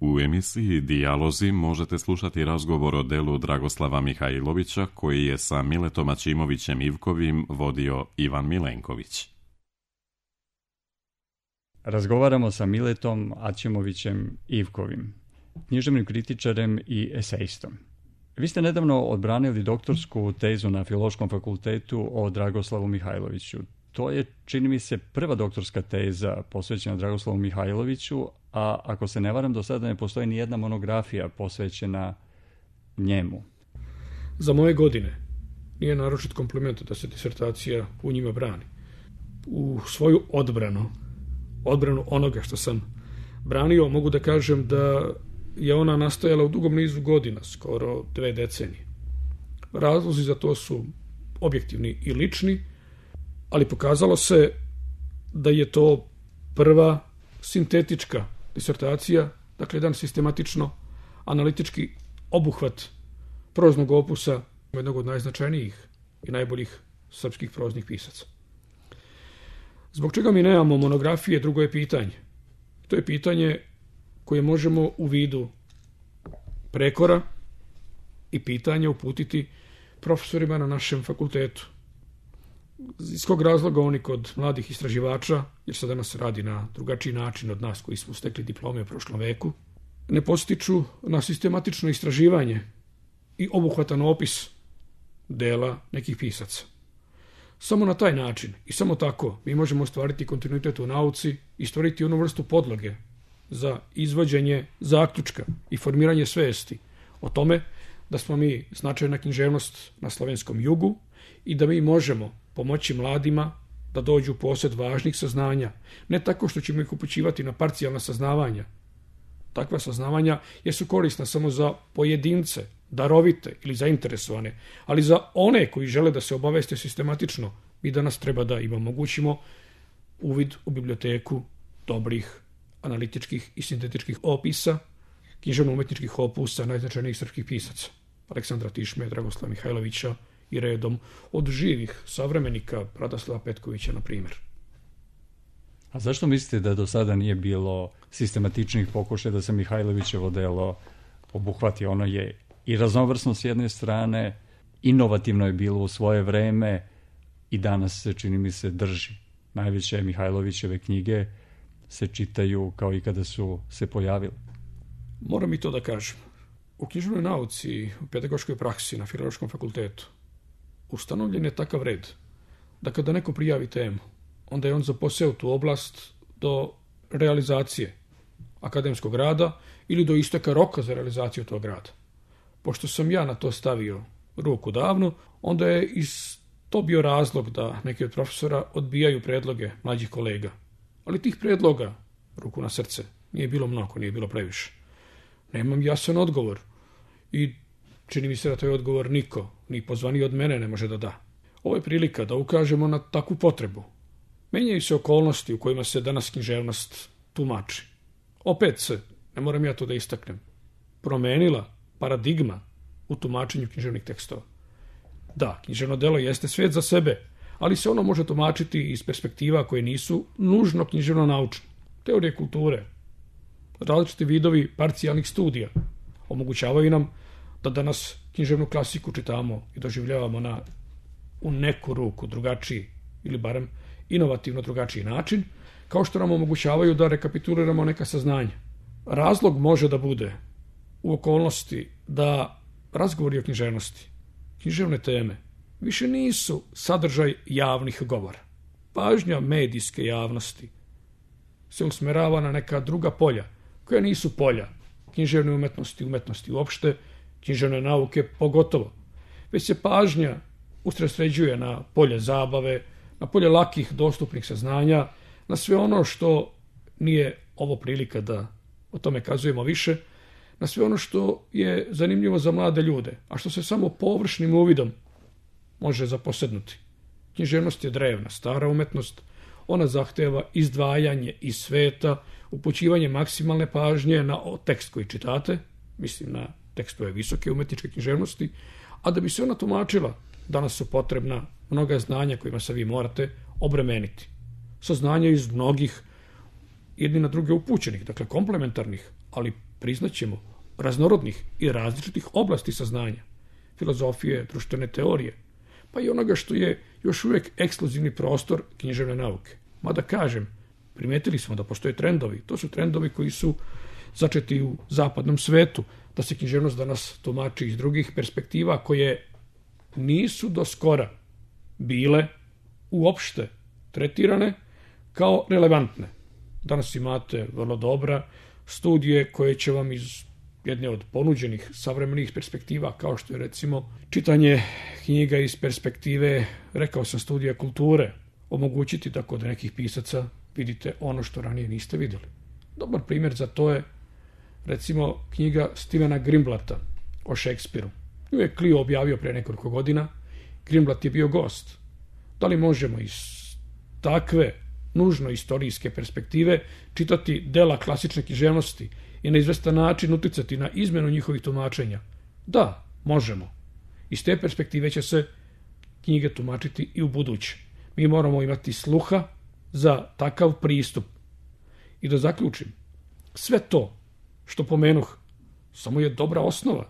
U emisiji Dijalozi možete slušati razgovor o delu Dragoslava Mihajlovića koji je sa Miletom Aćimovićem Ivkovim vodio Ivan Milenković. Razgovaramo sa Miletom Aćimovićem Ivkovim, književnim kritičarem i esejistom. Vi ste nedavno odbranili doktorsku tezu na Filološkom fakultetu o Dragoslavu Mihajloviću. To je, čini mi se, prva doktorska teza posvećena Dragoslavu Mihajloviću, a ako se ne varam, do sada ne postoji ni jedna monografija posvećena njemu. Za moje godine nije naročit kompliment da se disertacija u njima brani. U svoju odbranu onoga što sam branio, mogu da kažem da je ona nastajala u dugom nizu godina, skoro 2 decenije. Razlozi za to su objektivni i lični, ali pokazalo se da je to prva sintetička disertacija, dakle jedan sistematično analitički obuhvat proznog opusa jednog od najznačajnijih i najboljih srpskih proznih pisaca. Zbog čega mi nemamo monografije, drugo je pitanje. To je pitanje koje možemo u vidu prekora i pitanja uputiti profesorima na našem fakultetu. Iz kog razloga oni kod mladih istraživača, jer se danas radi na drugačiji način od nas koji smo stekli diplome u prošlom veku, ne postiču na sistematično istraživanje i obuhvatan opis dela nekih pisaca. Samo na taj način i samo tako mi možemo ostvariti kontinuitet u nauci i stvoriti onu vrstu podloge za izvođenje zaključka i formiranje svesti o tome da smo mi značajna književnost na slovenskom jugu i da mi možemo pomoći mladima da dođu u posjed važnih saznanja, ne tako što ćemo ih upućivati na parcijalna saznavanja. Takva saznavanja jesu korisna samo za pojedince, darovite ili zainteresovane, ali za one koji žele da se obaveste sistematično, mi danas treba da im omogućimo uvid u biblioteku dobrih analitičkih i sintetičkih opisa, književno-umetničkih opusa najznačajnijih srpskih pisaca, Aleksandra Tišme, Dragoslava Mihajlovića i redom od živih savremenika Radoslava Petkovića, na primjer. A zašto mislite da do sada nije bilo sistematičnih pokušaja da se Mihajlovićevo delo obuhvati? Ono je i raznovrsno s jedne strane, inovativno je bilo u svoje vreme i danas se, čini mi se, drži. Najveće Mihajlovićeve knjige se čitaju kao i kada su se pojavile. Moram i to da kažem. U književnoj nauci, u pedagoškoj praksi na Filološkom fakultetu ustanovljen je takav red da kada neko prijavi temu, onda je on zaposeo tu oblast do realizacije akademskog rada ili do isteka roka za realizaciju tog rada. Pošto sam ja na to stavio ruku davno, onda je to bio razlog da neki od profesora odbijaju predloge mlađih kolega. Ali tih predloga, ruku na srce, nije bilo mnogo, nije bilo previše. Nemam jasan odgovor i čini mi se da taj odgovor niko, ni pozvani od mene, ne može da da. Ovo je prilika da ukažemo na takvu potrebu. Menjaju se okolnosti u kojima se danas književnost tumači. Opet se, ne moram ja to da istaknem, promenila paradigma u tumačenju književnih tekstova. Da, književno delo jeste svet za sebe, ali se ono može tumačiti iz perspektiva koje nisu nužno književno naučne. Teorije kulture, različiti vidovi parcijalnih studija omogućavaju nam da danas književnu klasiku čitamo i doživljavamo u neku ruku drugačiji ili barem inovativno drugačiji način, kao što nam omogućavaju da rekapituliramo neka saznanja. Razlog može da bude u okolnosti da razgovori o književnosti, književne teme, više nisu sadržaj javnih govora. Pažnja medijske javnosti se usmerava na neka druga polja, koja nisu polja književne umetnosti uopšte, književne nauke pogotovo, već se pažnja usredsređuje na polje zabave, na polje lakih, dostupnih saznanja, na sve ono što nije ovo prilika da o tome kazujemo više, na sve ono što je zanimljivo za mlade ljude, a što se samo površnim uvidom može zaposednuti. Književnost je drevna, stara umetnost, ona zahteva izdvajanje iz sveta, upućivanje maksimalne pažnje na tekst koji čitate, mislim na tekstove visoke umetničke književnosti, a da bi se ona tumačila, danas su potrebna mnoga znanja kojima se vi morate obremeniti. Saznanja iz mnogih jedni na druge upućenih, dakle komplementarnih, ali priznaćemo raznorodnih i različitih oblasti saznanja, filozofije, društvene teorije, pa i onoga što je još uvijek ekskluzivni prostor književne nauke. Mada kažem, primetili smo da postoje trendovi, to su trendovi koji su začeti u zapadnom svetu, da se književnost danas tumači iz drugih perspektiva koje nisu do skora bile uopšte tretirane kao relevantne. Danas imate vrlo dobra studije koje će vam iz jedne od ponuđenih savremenih perspektiva, kao što je recimo čitanje knjiga iz perspektive, rekao sam, studija kulture, omogućiti da kod nekih pisaca vidite ono što ranije niste vidjeli. Dobar primjer za to je recimo knjiga Stevena Greenblatta o Šekspiru. Nju je Clio objavio prije nekoliko godina. Greenblatt je bio gost. Da li možemo iz takve nužno istorijske perspektive čitati dela klasične književnosti i na izvestan način uticati na izmenu njihovih tumačenja? Da, možemo. Iz te perspektive će se knjige tumačiti i u buduće. Mi moramo imati sluha za takav pristup. I da zaključim, sve to što pomenuh samo je dobra osnova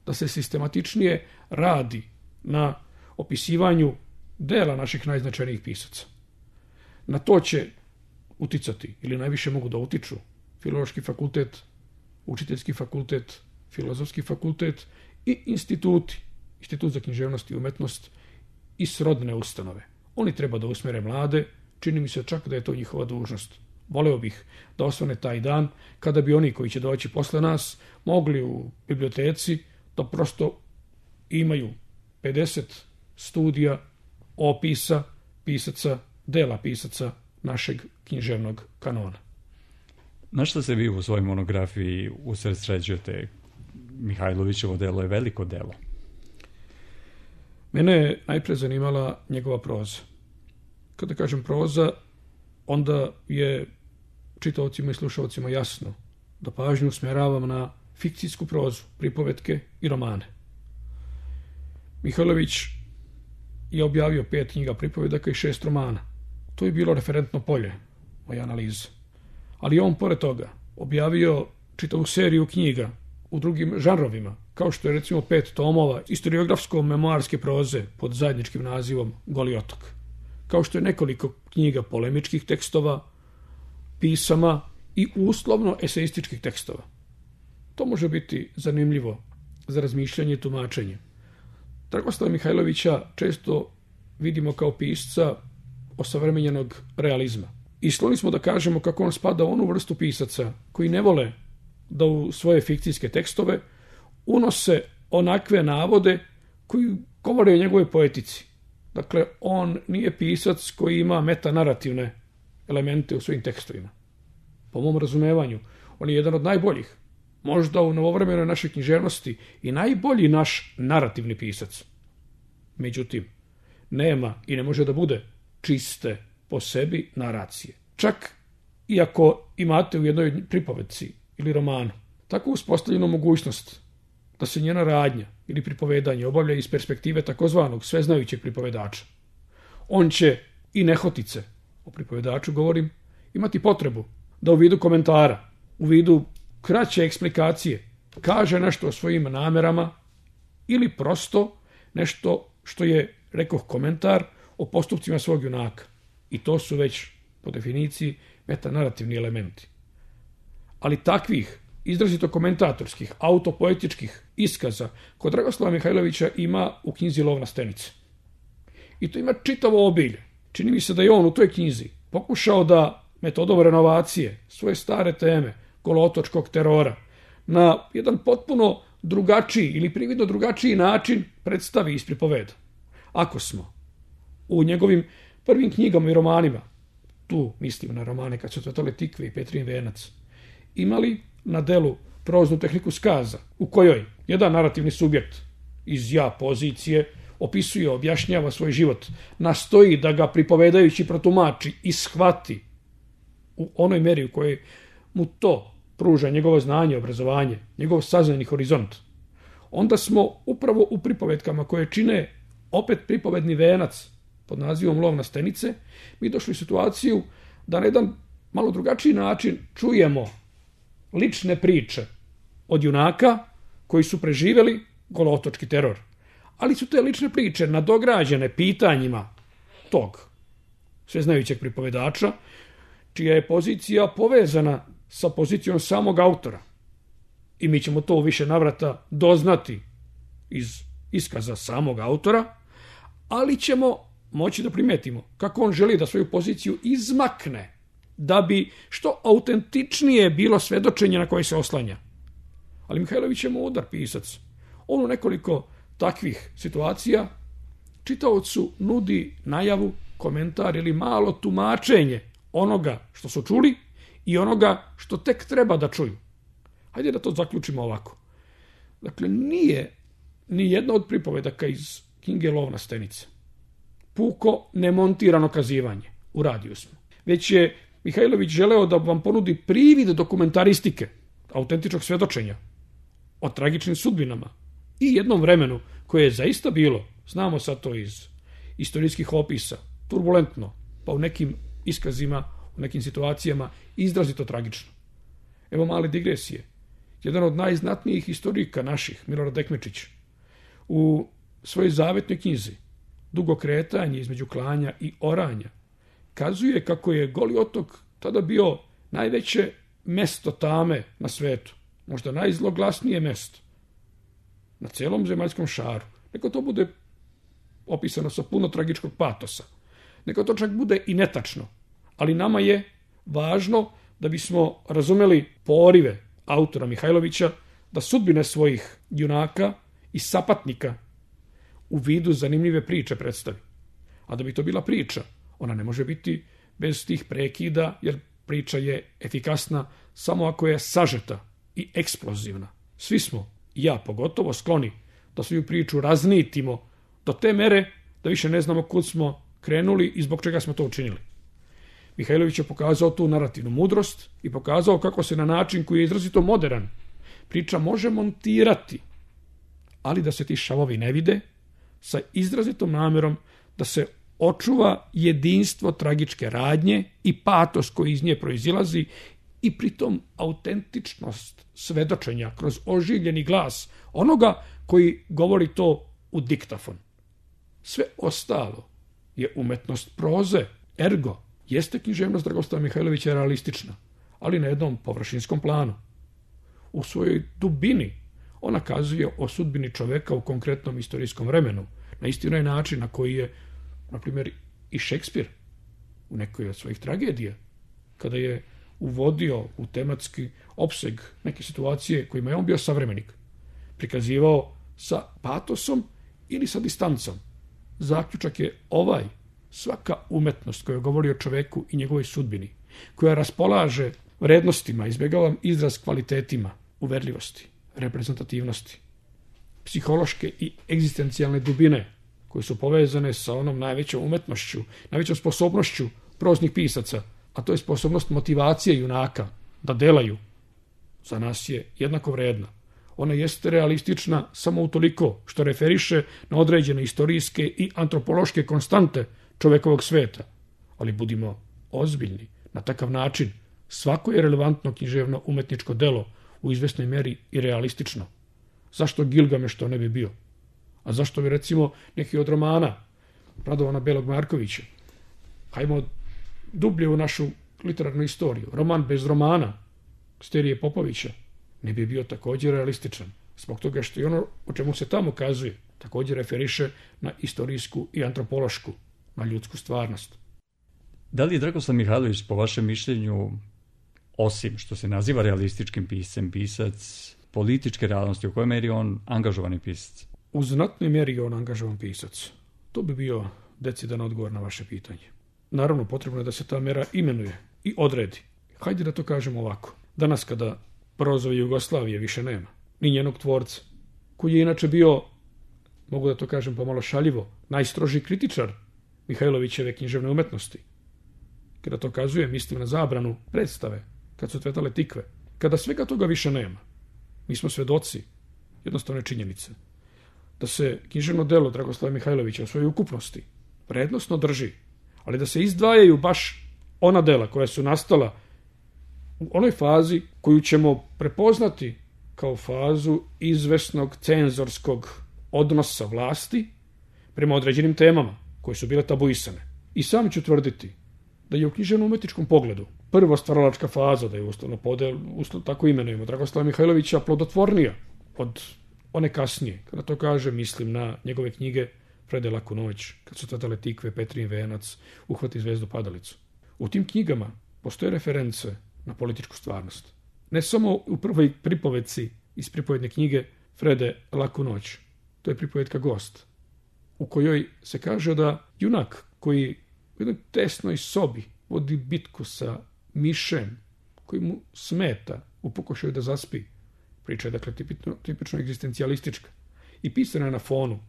da se sistematičnije radi na opisivanju dela naših najznačajnijih pisaca. Na to će uticati, ili najviše mogu da utiču, Filološki fakultet, Učiteljski fakultet, Filozofski fakultet i instituti, Institut za književnost i umetnost i srodne ustanove. Oni treba da usmere mlade, čini mi se čak da je to njihova dužnost. Voleo bih da osvane taj dan kada bi oni koji će doći posle nas mogli u biblioteci da prosto imaju 50 studija opisa pisaca, dela pisaca našeg književnog kanona. Na što se vi u svojoj monografiji usredsređujete? Mihajlovićevo delo je veliko delo. Mene je najpre zanimala njegova proza. Kada kažem proza, onda je čitaocima i slušaocima jasno da pažnju usmjeravam na fikcijsku prozu, pripovetke i romane. Mihajlović je objavio 5 knjiga pripovedaka i 6 romana. To je bilo referentno polje moje analize. Ali on, pored toga, objavio čitavu seriju knjiga u drugim žanrovima, kao što je recimo 5 tomova istoriografsko-memoarske proze pod zajedničkim nazivom Goli otok. Kao što je nekoliko knjiga polemičkih tekstova, pisama i uslovno eseističkih tekstova. To može biti zanimljivo za razmišljanje i tumačenje. Dragoslava Mihajlovića često vidimo kao pisca osavremenjenog realizma. I skloni smo da kažemo kako on spada u onu vrstu pisaca koji ne vole da u svoje fikcijske tekstove unose onakve navode koji govore o njegove poetici. Dakle, on nije pisac koji ima metanarativne elemente u svojim tekstovima. Po mom razumevanju, on je jedan od najboljih, možda u novovremenoj našoj književnosti i najbolji naš narativni pisac. Međutim, nema i ne može da bude čiste po sebi naracije. Čak i ako imate u jednoj pripovedci ili romanu tako uspostavljenu mogućnost da se njena radnja ili pripovedanje obavlja iz perspektive takozvanog sveznajućeg pripovedača, on će i nehotice, o pripovedaču govorim, imati potrebu da u vidu komentara, u vidu kraće eksplikacije, kaže nešto o svojim namerama ili prosto nešto što je, rekoh, komentar o postupcima svog junaka. I to su već, po definiciji, metanarativni elementi. Ali takvih izrazito komentatorskih, autopoetičkih iskaza kod Dragoslava Mihajlovića ima u knjizi Lov na stenice. I to ima čitavo obilje. Čini mi se da je on u toj knjizi pokušao da metodom renovacije svoje stare teme, golootočkog terora, na jedan potpuno drugačiji ili prividno drugačiji način predstavi iz pripoveda. Ako smo u njegovim prvim knjigama i romanima, tu mislim na romane Kad su cvetale tikve i Petrin venac, imali na delu proznu tehniku skaza, u kojoj jedan narativni subjekt iz ja pozicije opisuje, objašnjava svoj život, nastoji da ga pripovedajući protumači i shvati u onoj meri u kojoj mu to pruža njegovo znanje, obrazovanje, njegov saznajni horizont, onda smo upravo u pripovetkama koje čine opet pripovedni venac pod nazivom Lov na stenice, mi došli u situaciju da na jedan malo drugačiji način čujemo lične priče od junaka koji su preživjeli golootočki teror. Ali su te lične priče nadograđene pitanjima tog sveznajućeg pripovedača, čija je pozicija povezana sa pozicijom samog autora. I mi ćemo to u više navrata doznati iz iskaza samog autora, ali ćemo moći da primetimo kako on želi da svoju poziciju izmakne, da bi što autentičnije bilo svedočenje na koje se oslanja. Ali Mihajlović je mudar pisac. On u nekoliko takvih situacija čitaocu nudi najavu, komentar ili malo tumačenje onoga što su čuli i onoga što tek treba da čuju. Hajde da to zaključimo ovako. Dakle, nije ni jedna od pripovedaka iz knjige Lov na stenice puko nemontirano kazivanje. U radiju smo. Već je Mihajlović želeo da vam ponudi privid dokumentaristike, autentičnog svedočenja o tragičnim sudbinama i jednom vremenu koje je zaista bilo, znamo sad to iz istorijskih opisa, turbulentno, pa u nekim iskazima, u nekim situacijama izrazito tragično. Evo male digresije. Jedan od najznatnijih historika naših, Milorad Dekmečić, u svojoj zavetnoj knjizi Dugo kretanje između klanja i oranja kazuje kako je Goli otok tada bio najveće mesto tame na svetu, možda najzloglasnije mesto na celom zemaljskom šaru. Neka to bude opisano sa puno tragičkog patosa. Neka to čak bude i netačno. Ali nama je važno da bismo razumeli porive autora Mihajlovića da sudbine svojih junaka i sapatnika u vidu zanimljive priče predstavi. A da bi to bila priča, ona ne može biti bez tih prekida, jer priča je efikasna samo ako je sažeta i eksplozivna. Svi smo, i ja pogotovo, skloni da svoju priču raznitimo do te mere da više ne znamo kud smo krenuli i zbog čega smo to učinili. Mihajlović je pokazao tu narativnu mudrost i pokazao kako se na način koji je izrazito modern priča može montirati, ali da se ti šavovi ne vide, sa izrazitom namjerom da se očuva jedinstvo tragičke radnje i patos koji iz nje proizilazi i pritom autentičnost svedočenja kroz oživljeni glas onoga koji govori to u diktafon. Sve ostalo je umetnost proze, ergo jeste književnost Dragoslava Mihajlovića realistična, ali na jednom površinskom planu. U svojoj dubini ona kazuje o sudbini čoveka u konkretnom istorijskom vremenu, na isti onaj način na koji je, na primjer, i Šekspir u nekoj od svojih tragedija, kada je uvodio u tematski opseg neke situacije kojima je on bio savremenik, prikazivao sa patosom ili sa distancom. Zaključak je ovaj: svaka umetnost koja govori o čoveku i njegovoj sudbini, koja raspolaže vrednostima, izbjegavam izraz kvalitetima, uverljivosti, reprezentativnosti, psihološke i egzistencijalne dubine, koje su povezane sa onom najvećom umetnošću, najvećom sposobnošću proznih pisaca, a to je sposobnost motivacije junaka da delaju, za nas je jednako vredna. Ona jeste realistična samo utoliko što referiše na određene istorijske i antropološke konstante čovekovog sveta. Ali budimo ozbiljni, na takav način svako je relevantno književno umetničko delo u izvesnoj meri i realistično. Zašto Gilgameš to ne bi bio? A zašto bi, recimo, neki od romana Radovana Belog Markovića? Hajmo dublje u našu literarnu istoriju. Roman bez romana Sterije Popovića ne bi bio također realističan, zbog toga što i ono o čemu se tamo kazuje također referiše na istorijsku i antropološku, na ljudsku stvarnost. Da li je Dragoslav Mihajlović, po vašem mišljenju, osim što se naziva realističkim piscem, pisac političke realnosti, u kojoj meri on angažovani pisac? U znatnoj meri je on angažovan pisac. To bi bio decidan odgovor na vaše pitanje. Naravno, potrebno je da se ta mera imenuje i odredi. Hajde da to kažemo ovako. Danas kada prozove Jugoslavije više nema, ni njenog tvorca, koji je inače bio, mogu da to kažem pomalo šaljivo, najstroži kritičar Mihajlovićeve književne umetnosti. Kada to kazuje, mislim na zabranu predstave, kad su cvetale tikve. Kada svega toga više nema, mi smo svedoci jednostavne činjenice da se književno delo Dragoslava Mihajlovića u svojoj ukupnosti vrednosno drži, ali da se izdvajaju baš ona dela koja su nastala u onoj fazi koju ćemo prepoznati kao fazu izvesnog cenzorskog odnosa vlasti prema određenim temama koje su bile tabuisane. I sam ću tvrditi da je u književno-umetničkom pogledu prva stvaralačka faza, da je uslovno tako imenujemo, Dragoslava Mihajlovića, plodotvornija od one kasnije. Kada to kaže, mislim na njegove knjige Frede laku noć, Kad su cvetale tikve, Petrin venac, Uhvati zvezdu padalicu. U tim knjigama postoje reference na političku stvarnost. Ne samo u prvoj pripovedci iz pripovedne knjige Frede laku noć, to je pripovedka Gost, u kojoj se kaže da junak koji u jednoj tesnoj sobi vodi bitku sa mišem koji mu smeta u pokušaju da zaspi. Priča je dakle tipično egzistencijalistička i pisana je na fonu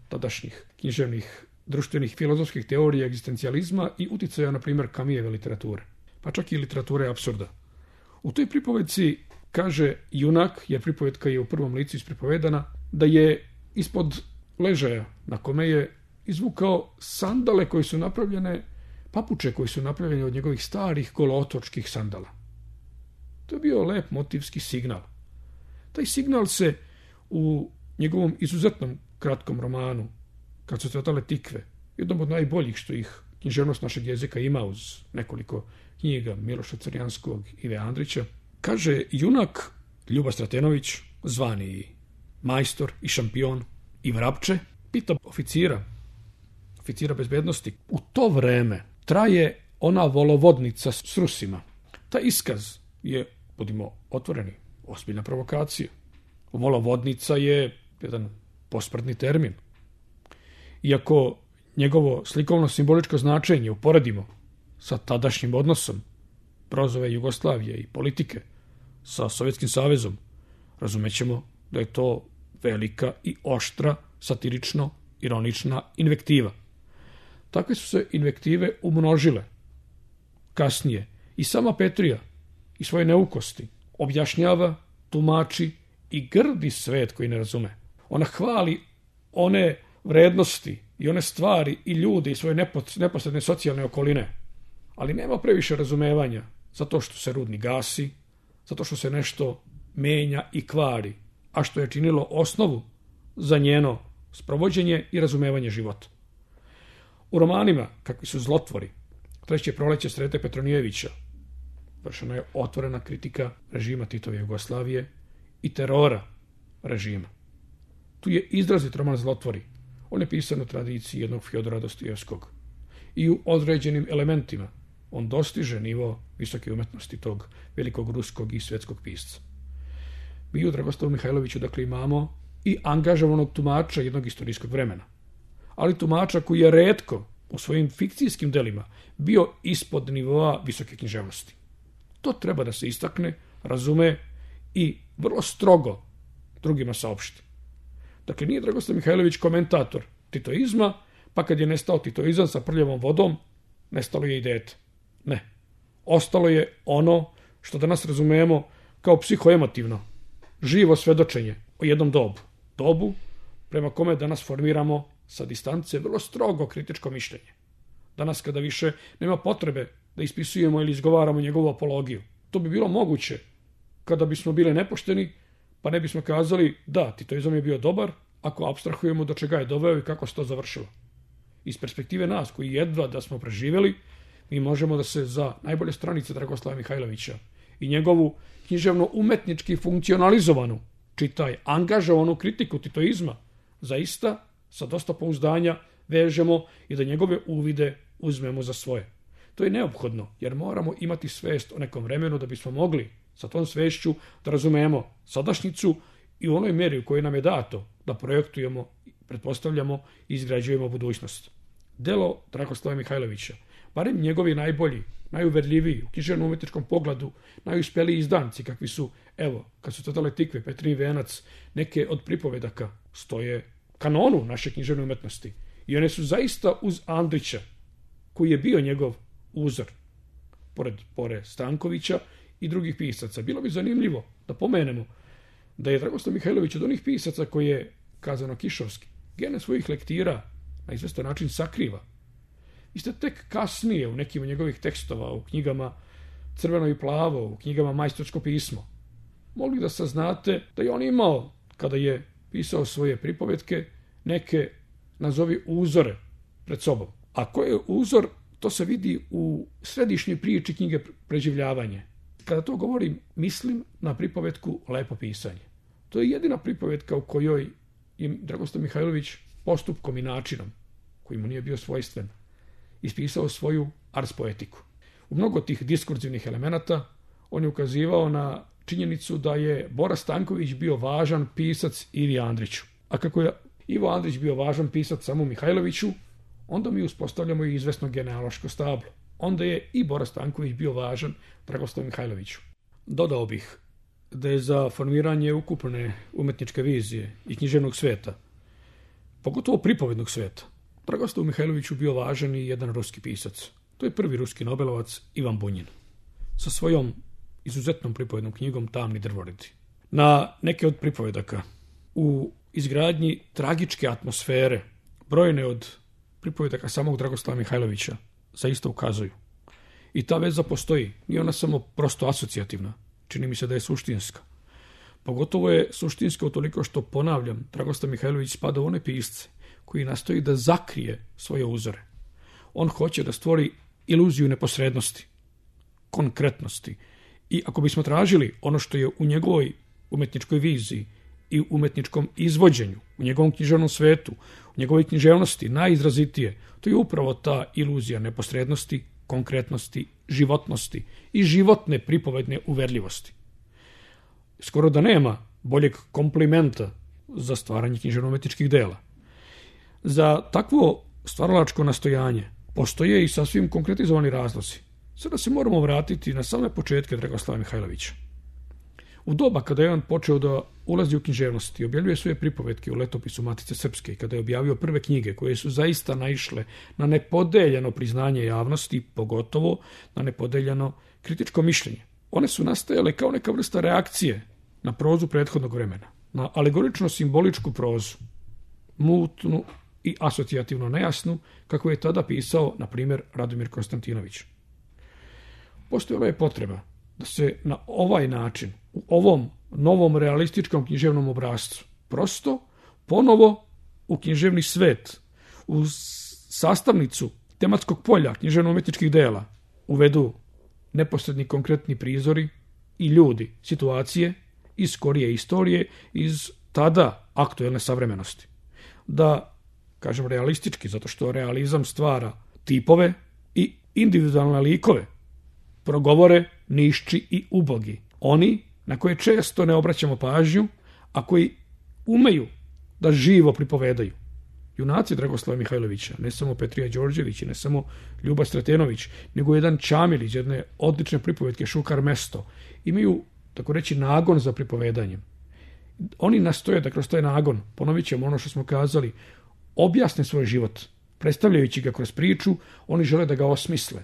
tadašnjih književnih, društvenih, filozofskih teorija egzistencijalizma i uticaja, na primjer, Camijeve literature, pa čak i literature apsurda. U toj pripovedci kaže junak, jer pripovedka je u prvom licu ispripovedana, da je ispod ležaja na kome je izvukao sandale koje su napravljene, papuče koji su napravljene od njegovih starih golootočkih sandala. To je bio lep motivski signal. Taj signal se u njegovom izuzetnom kratkom romanu Kad su cvetale tikve, jednom od najboljih što ih književnost našeg jezika ima uz nekoliko knjiga Miloša Crjanskog i Ive Andrića, kaže junak Ljuba Stratenović, zvani majstor i šampion i vrapče, pita oficira bezbednosti. U to vreme traje ona volovodnica s Rusima. Ta iskaz je, budimo otvoreni, ozbiljna provokacija. Volovodnica je jedan posprdni termin. Iako njegovo slikovno-simboličko značenje uporedimo sa tadašnjim odnosom Brozove Jugoslavije i politike sa Sovjetskim savezom, razumećemo da je to velika i oštra, satirično-ironična invektiva. Takve su se invektive umnožile. Kasnije i sama Petrija i svoje neukosti objašnjava, tumači i grdi svet koji ne razume. Ona hvali one vrednosti i one stvari i ljude i svoje neposredne socijalne okoline, ali nema previše razumevanja zato što se rudnik gasi, zato što se nešto menja i kvari, a što je činilo osnovu za njeno sprovođenje i razumevanje života. U romanima, kakvi su Zlotvori, Treće proleće Srete Petronijevića, vršena je otvorena kritika režima Titove Jugoslavije i terora režima. Tu je izrazit roman Zlotvori. On je pisan u tradiciji jednog Fjodora Dostojevskog. I u određenim elementima on dostiže nivo visoke umetnosti tog velikog ruskog i svetskog pisca. Mi u Dragoslavu Mihajloviću dakle imamo i angažovanog tumača jednog istorijskog vremena, ali tumača koji je retko u svojim fikcijskim delima bio ispod nivoa visoke književnosti. To treba da se istakne, razume i vrlo strogo drugima saopšti. Dakle, nije Dragoslav Mihajlović komentator titoizma, pa kad je nestao titoizam sa prljavom vodom, nestalo je i dete. Ne. Ostalo je ono što danas razumijemo kao psihoemotivno, živo svedočenje o jednom dobu. Dobu prema kome danas formiramo sa distance vrlo strogo kritičko mišljenje. Danas kada više nema potrebe da ispisujemo ili izgovaramo njegovu apologiju. To bi bilo moguće kada bismo bili nepošteni, pa ne bismo kazali da, titoizam je bio dobar, ako apstrahujemo do čega je doveo i kako se to završilo. Iz perspektive nas, koji jedva da smo preživjeli, mi možemo da se za najbolje stranice Dragoslava Mihajlovića i njegovu književno-umetnički funkcionalizovanu, čitaj, angažovanu kritiku titoizma, zaista sa dosta pouzdanja vežemo i da njegove uvide uzmemo za svoje. To je neophodno, jer moramo imati svest o nekom vremenu da bismo mogli sa tom svešću da razumemo sadašnjicu i u onoj mjeri u kojoj nam je dato da projektujemo, pretpostavljamo i izgrađujemo budućnost. Delo Dragoslava Mihajlovića, barem njegovi najbolji, najuverljiviji, u književno-umetničkom pogledu, najuspjeliji izdanci, kakvi su, evo, Kad su cvetale tikve, Petrin venac, neke od pripovedaka stoje kanonu naše književne umetnosti. I one su zaista uz Andrića, koji je bio njegov uzor, pored Bore Stankovića i drugih pisaca. Bilo bi zanimljivo da pomenemo da je Dragoslav Mihajlović od onih pisaca koji je, kazano Kišovski, gene svojih lektira na izvestan način sakriva. Vi ste tek kasnije u nekim od njegovih tekstova u knjigama Crveno i plavo u knjigama Majstorsko pismo, mogli da saznate da je on imao, kada je pisao svoje pripovetke, neke, nazovi, uzore pred sobom. A koji je uzor, to se vidi u središnjoj priči knjige Preživljavanje. Kada to govorim, mislim na pripovetku Lepo pisanje. To je jedina pripovetka u kojoj je Dragoslav Mihajlović postupkom i načinom, koji mu nije bio svojstven, ispisao svoju ars poetiku. U mnogo tih diskurzivnih elemenata on je ukazivao na činjenicu da je Bora Stanković bio važan pisac Ivi Andriću. A kako je Ivo Andrić bio važan pisac samo Mihajloviću, onda mi uspostavljamo i izvesno genealoško stablo. Onda je i Bora Stanković bio važan Dragoslavu Mihajloviću. Dodao bih da je za formiranje ukupne umetničke vizije i književnog sveta, pogotovo pripovednog sveta, Dragoslavu Mihajloviću bio važan i jedan ruski pisac. To je prvi ruski nobelovac Ivan Bunjin, sa svojom izuzetnom pripovednom knjigom Tamni drvoredi. Na neke od pripovedaka u izgradnji tragičke atmosfere, brojne od pripovedaka samog Dragoslava Mihajlovića zaista ukazuju. I ta veza postoji, nije ona samo prosto asocijativna, čini mi se da je suštinska. Pogotovo je suštinska utoliko što, ponavljam, Dragoslav Mihajlović spada u one pisce koji nastoji da zakrije svoje uzore. On hoće da stvori iluziju neposrednosti, konkretnosti. I ako bismo tražili ono što je u njegovoj umetničkoj viziji i umetničkom izvođenju, u njegovom književnom svetu, u njegovoj književnosti najizrazitije, to je upravo ta iluzija neposrednosti, konkretnosti, životnosti i životne pripovedne uverljivosti. Skoro da nema boljeg komplimenta za stvaranje književno-umetničkih dela. Za takvo stvaralačko nastojanje postoje i sasvim konkretizovani razlozi. Sada se moramo vratiti na same početke Dragoslava Mihajlovića. U doba kada je on počeo da ulazi u književnost i objavljuje svoje pripovetke u letopisu Matice Srpske i kada je objavio prve knjige koje su zaista naišle na nepodeljeno priznanje javnosti, pogotovo na nepodeljeno kritičko mišljenje. One su nastajale kao neka vrsta reakcije na prozu prethodnog vremena, na alegorično-simboličku prozu, mutnu i asocijativno nejasnu, kako je tada pisao, na primjer, Radomir Konstantinović. Postojala je potreba da se na ovaj način, u ovom novom realističkom književnom obrascu, prosto ponovo u književni svet, u sastavnicu tematskog polja književno-umetničkih dela uvedu neposredni konkretni prizori i ljudi, situacije iz skorije istorije, iz tada aktuelne savremenosti. Da, kažem realistički, zato što realizam stvara tipove i individualne likove, progovore nišči i ubogi. Oni na koje često ne obraćamo pažnju, a koji umeju da živo pripovedaju. Junaci Dragoslava Mihajlovića, ne samo Petrija Đorđević i ne samo Ljuba Stratenović, nego jedan Čamil iz jedne odlične pripovetke Šukar mesto, imaju, tako reći, nagon za pripovedanjem. Oni nastoje da kroz taj nagon, ponovit ćemo ono što smo kazali, objasne svoj život. Predstavljajući ga kroz priču, oni žele da ga osmisle.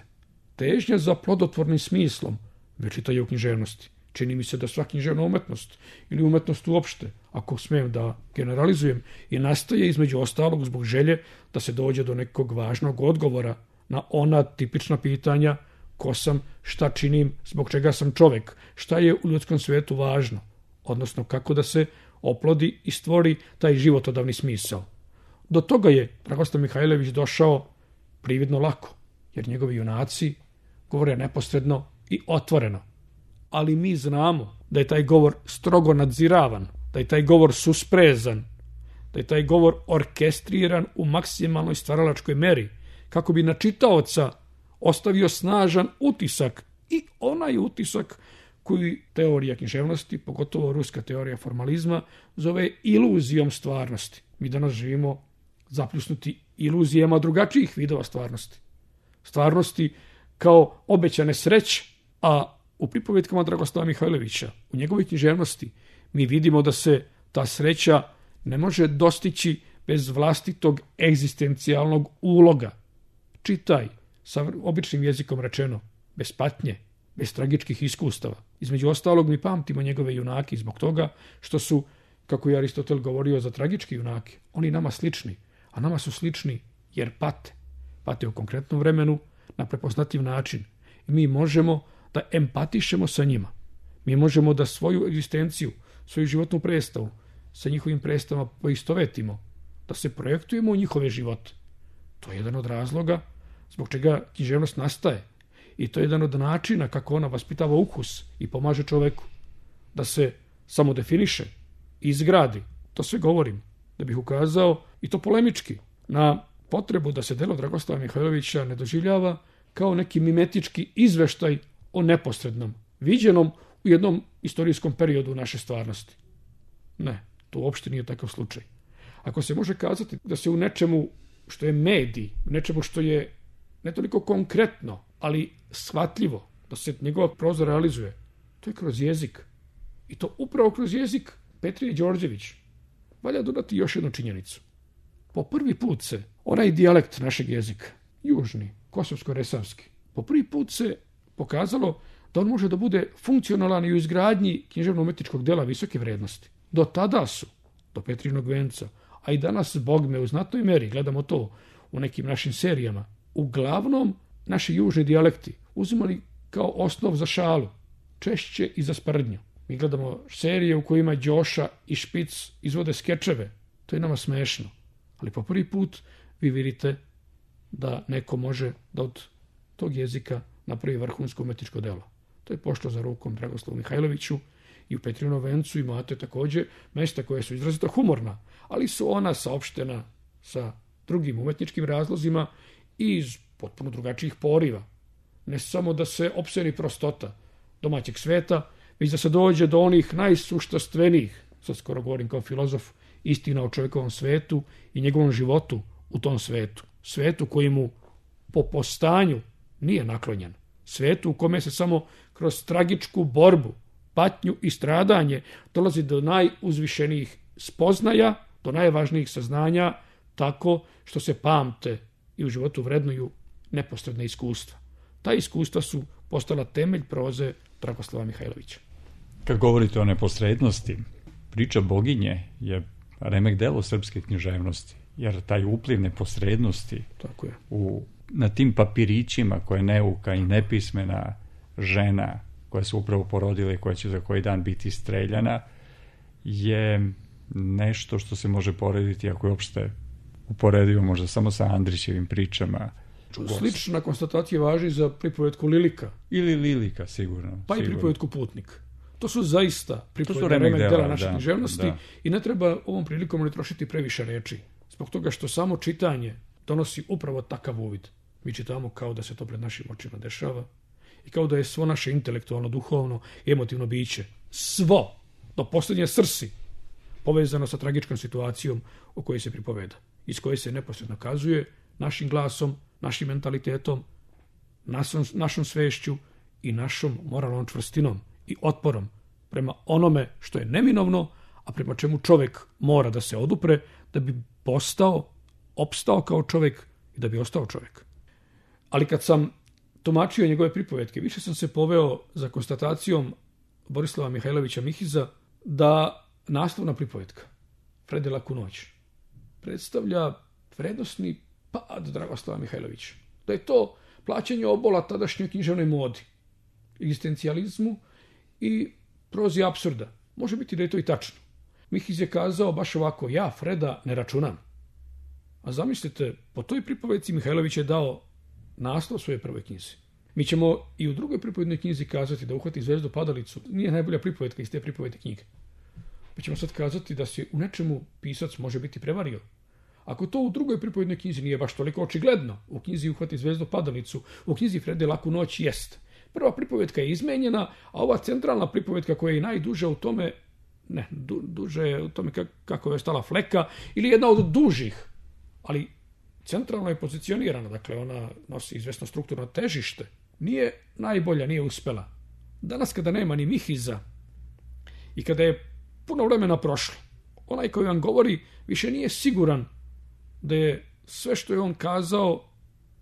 Težnja za plodotvornim smislom večita je u književnosti. Čini mi se da sva književna umetnost ili umetnost uopšte, ako smijem da generalizujem, i nastaje između ostalog zbog želje da se dođe do nekog važnog odgovora na ona tipična pitanja: ko sam, šta činim, zbog čega sam čovek, šta je u ljudskom svetu važno, odnosno kako da se oplodi i stvori taj životodavni smisao. Do toga je Dragoslav Mihajlović došao prividno lako, jer njegovi junaci govore neposredno i otvoreno. Ali mi znamo da je taj govor strogo nadziravan, da je taj govor susprezan, da je taj govor orkestriran u maksimalnoj stvaralačkoj meri, kako bi na čitaoca ostavio snažan utisak, i onaj utisak koji teorija književnosti, pogotovo ruska teorija formalizma, zove iluzijom stvarnosti. Mi danas živimo zapljusnuti iluzijama drugačijih vidova stvarnosti. Stvarnosti kao obećane sreće, a u pripovetkama Dragoslava Mihajlovića, u njegovoj književnosti, mi vidimo da se ta sreća ne može dostići bez vlastitog egzistencijalnog uloga. Čitaj, sa običnim jezikom rečeno, bez patnje, bez tragičkih iskustava. Između ostalog, mi pamtimo njegove junake zbog toga što su, kako je Aristotel govorio za tragički junake, oni nama slični, a nama su slični jer pate. Pate u konkretnom vremenu, na prepoznativ način. I mi možemo da empatišemo sa njima. Mi možemo da svoju egzistenciju, svoju životnu predstavu sa njihovim predstavama poistovetimo, da se projektujemo u njihove živote. To je jedan od razloga zbog čega književnost nastaje. I to je jedan od načina kako ona vaspitava ukus i pomaže čoveku da se samodefiniše, izgradi. To sve govorim da bih ukazao, i to polemički, na potrebu da se delo Dragoslava Mihajlovića ne doživljava kao neki mimetički izveštaj o neposrednom, viđenom u jednom istorijskom periodu naše stvarnosti. Ne, to uopšte nije takav slučaj. Ako se može kazati da se u nečemu što je medij, u nečemu što je ne toliko konkretno, ali shvatljivo, da se njegova proza realizuje, to je kroz jezik. I to upravo kroz jezik Petrije Đorđević. Valja dodati još jednu činjenicu. Po prvi put se onaj dijalekt našeg jezika, južni, kosovsko-resavski, po prvi put se pokazalo da on može da bude funkcionalan i u izgradnji književno-umetničkog dela visoke vrednosti. Do tada su, do Petrinog venca, a i danas, bogme, u znatnoj meri, gledamo to u nekim našim serijama, uglavnom naši južni dijalekti uzimali kao osnov za šalu, češće i za sprdnju. Mi gledamo serije u kojima Đoša i Špic izvode skečeve. To je nama smešno. Ali po prvi put vi vidite da neko može da od tog jezika napravi vrhunsko umetničko delo. To je pošlo za rukom Dragoslavu Mihajloviću i u Petrinom vencu imate također mesta koje su izrazito humorna, ali su ona saopštena sa drugim umetničkim razlozima i iz potpuno drugačijih poriva. Ne samo da se opseni prostota domaćeg sveta, već da se dođe do onih najsuštastvenijih, sad skoro govorim kao filozof, istina o čovjekovom svetu i njegovom životu u tom svetu. Svetu koji mu po postanju nije naklonjen. Svetu u kome se samo kroz tragičku borbu, patnju i stradanje dolazi do najuzvišenijih spoznaja, do najvažnijih saznanja, tako što se pamte i u životu vrednuju neposredne iskustva. Ta iskustva su postala temelj proze Dragoslava Mihajlovića. Kad govorite o neposrednosti, priča Boginje je remek delo srpske književnosti, jer taj upliv neposrednosti tako je. Na tim papirićima koje neuka i nepismena žena koja se upravo porodila i koja će za koji dan biti streljana je nešto što se može porediti, ako je uopšte uporedivo možda samo sa Andrićevim pričama. Slična konstatacija važi za pripovetku Lilika. Ili Lilika, sigurno. Pa sigurno. I pripovetku Putnik. To su zaista pripovetne remek dela naše književnosti i ne treba ovom prilikom ne trošiti previše reči. Zbog toga što samo čitanje donosi upravo takav uvid. Mi čitamo kao da se to pred našim očima dešava i kao da je svo naše intelektualno, duhovno i emotivno biće, svo, do posljednje srsi, povezano sa tragičkom situacijom o kojoj se pripoveda, iz koje se neposredno kazuje našim glasom, našim mentalitetom, našom svešću i našom moralnom čvrstinom i otporom prema onome što je neminovno, a prema čemu čovjek mora da se odupre da bi opstao kao čovjek i da bi ostao čovjek. Ali kad sam tumačio njegove pripovetke, više sam se poveo za konstatacijom Borislava Mihajlovića Mihiza da naslovna pripovetka Frede laku noć predstavlja vrednosni pad Dragoslava Mihajlovića. Da je to plaćanje obola tadašnjoj književnoj modi, egzistencijalizmu i prozi apsurda. Može biti da je to i tačno. Mihiz je kazao baš ovako: ja Freda ne računam. A zamislite, po toj pripovetci Mihajlović je dao naslov svoje prvoj knjizi. Mi ćemo i u drugoj pripovednoj knjizi kazati da Uhvati zvezdu padalicu nije najbolja pripovetka iz te pripovetne knjige. Pa ćemo sad kazati da se u nečemu pisac može biti prevario. Ako to u drugoj pripovednoj knjizi nije baš toliko očigledno, u knjizi Uhvati zvezdu padalicu, u knjizi Frede laku noć jest. Prva pripovetka je izmenjena, a ova centralna pripovetka koja je najduža u tome, duže je u tome kako je ostala fleka, ili jedna od dužih, ali centralno je pozicionirana, dakle ona nosi izvesno strukturno težište, nije najbolja, nije uspela. Danas kada nema ni Mihiza i kada je puno vremena prošlo, onaj koji vam govori više nije siguran da je sve što je on kazao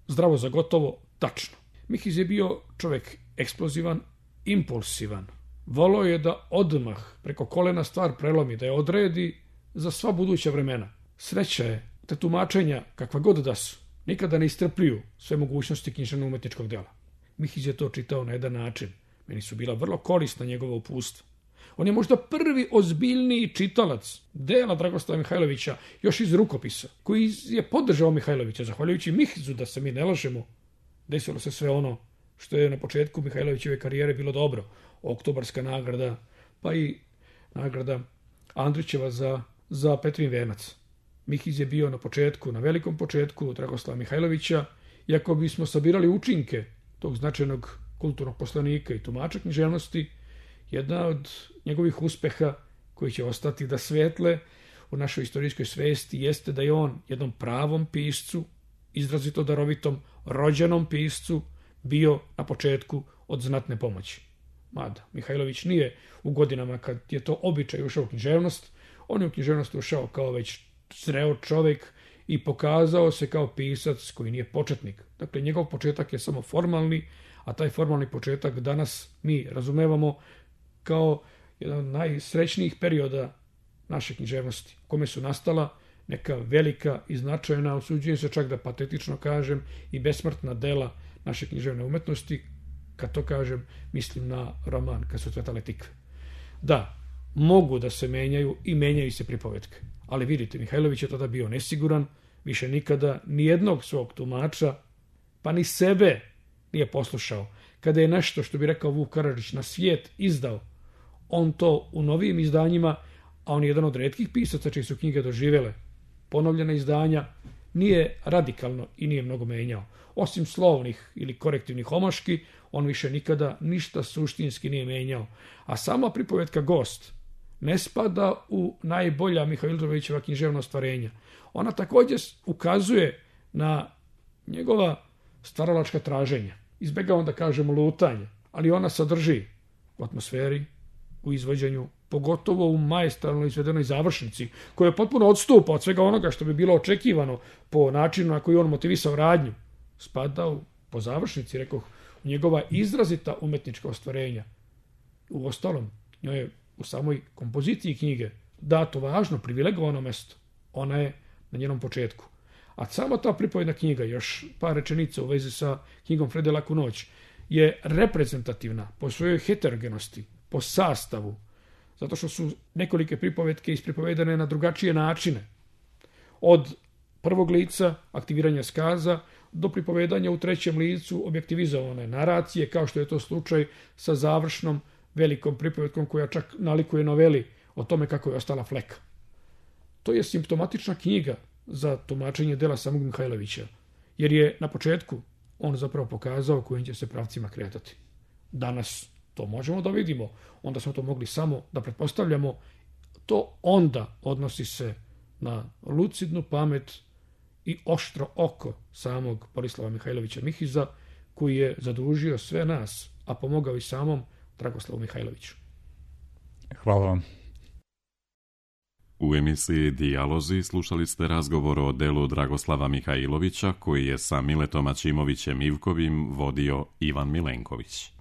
zdravo za gotovo tačno. Mihiz je bio čovjek eksplozivan, impulsivan. Volao je da odmah preko kolena stvar prelomi, da je odredi za sva buduća vremena. Sreća je te tumačenja, kakva god da su, nikada ne istrpljuju sve mogućnosti književno-umetničkog dela. Mihiz je to čitao na jedan način. Meni su bila vrlo korisna njegova uputstva. On je možda prvi ozbiljniji čitalac dela Dragoslava Mihajlovića, još iz rukopisa, koji je podržao Mihajlovića. Zahvaljujući Mihizu, da se mi ne lažemo, desilo se sve ono što je na početku Mihajlovićeve karijere bilo dobro. Oktobarska nagrada, pa i nagrada Andrićeva za Petrin venac. Mihiz je bio na početku, na velikom početku Dragoslava Mihajlovića, i ako bismo sabirali učinke tog značajnog kulturnog poslanika i tumača književnosti, jedna od njegovih uspeha koji će ostati da svetle u našoj istorijskoj svesti jeste da je on jednom pravom piscu, izrazito darovitom, rođenom piscu, bio na početku od znatne pomoći. Mada Mihajlović nije u godinama kad je to običaj ušao u književnost, on je u književnost ušao kao već zreo čovjek i pokazao se kao pisac koji nije početnik. Dakle, njegov početak je samo formalni, a taj formalni početak danas mi razumevamo kao jedan od najsrećnijih perioda naše književnosti, u kome su nastala neka velika i značajna, usuđujem se čak da patetično kažem, i besmrtna dela naše književne umetnosti. Kad to kažem, mislim na roman Kad su cvetale tikve. Da, mogu da se menjaju i menjaju se pripovetke. Ali vidite, Mihajlović je tada bio nesiguran, više nikada nijednog svog tumača, pa ni sebe nije poslušao. Kada je nešto, što bi rekao Vuk Karadžić, na svijet izdao, on to u novijim izdanjima, a on je jedan od retkih pisaca čiji su knjige doživjele ponovljena izdanja, nije radikalno i nije mnogo menjao. Osim slovnih ili korektivnih omaški, on više nikada ništa suštinski nije menjao. A sama pripovetka Gost ne spada u najbolja Mihajlovićeva književna ostvarenja. Ona također ukazuje na njegova stvaralačka traženja. Izbjegavam da kažemo lutanje, ali ona sadrži u atmosferi, u izvođenju, pogotovo u maestralno izvedenoj završnici, koja potpuno odstupa od svega onoga što bi bilo očekivano po načinu na koji on motivisao radnju. Spada po završnici, rekoh, u njegova izrazita umetnička ostvarenja. U ostalom, njoj je u samoj kompoziciji knjige dato važno, privilegovano mesto. Ona je na njenom početku. A sama ta pripovedna knjiga, još par rečenica u vezi sa knjigom Frede Laku noć, je reprezentativna po svojoj heterogenosti, po sastavu, zato što su nekolike pripovetke ispripovedane na drugačije načine. Od prvog lica, aktiviranja skaza, do pripovedanja u trećem licu objektivizovane naracije, kao što je to slučaj sa završnom velikom pripovetkom koja čak nalikuje noveli o tome kako je ostala fleka. To je simptomatična knjiga za tumačenje dela samog Mihajlovića, jer je na početku on zapravo pokazao kojim će se pravcima kretati. Danas to možemo da vidimo, onda smo to mogli samo da pretpostavljamo. To onda odnosi se na lucidnu pamet i oštro oko samog Borislava Mihajlovića Mihiza, koji je zadužio sve nas, a pomogao i samom Dragoslavu Mihajloviću. Hvala vam. U emisiji Dijalozi slušali ste razgovor o delu Dragoslava Mihajlovića koji je sa Miletom Ačimovićem Ivkovim vodio Ivan Milenković.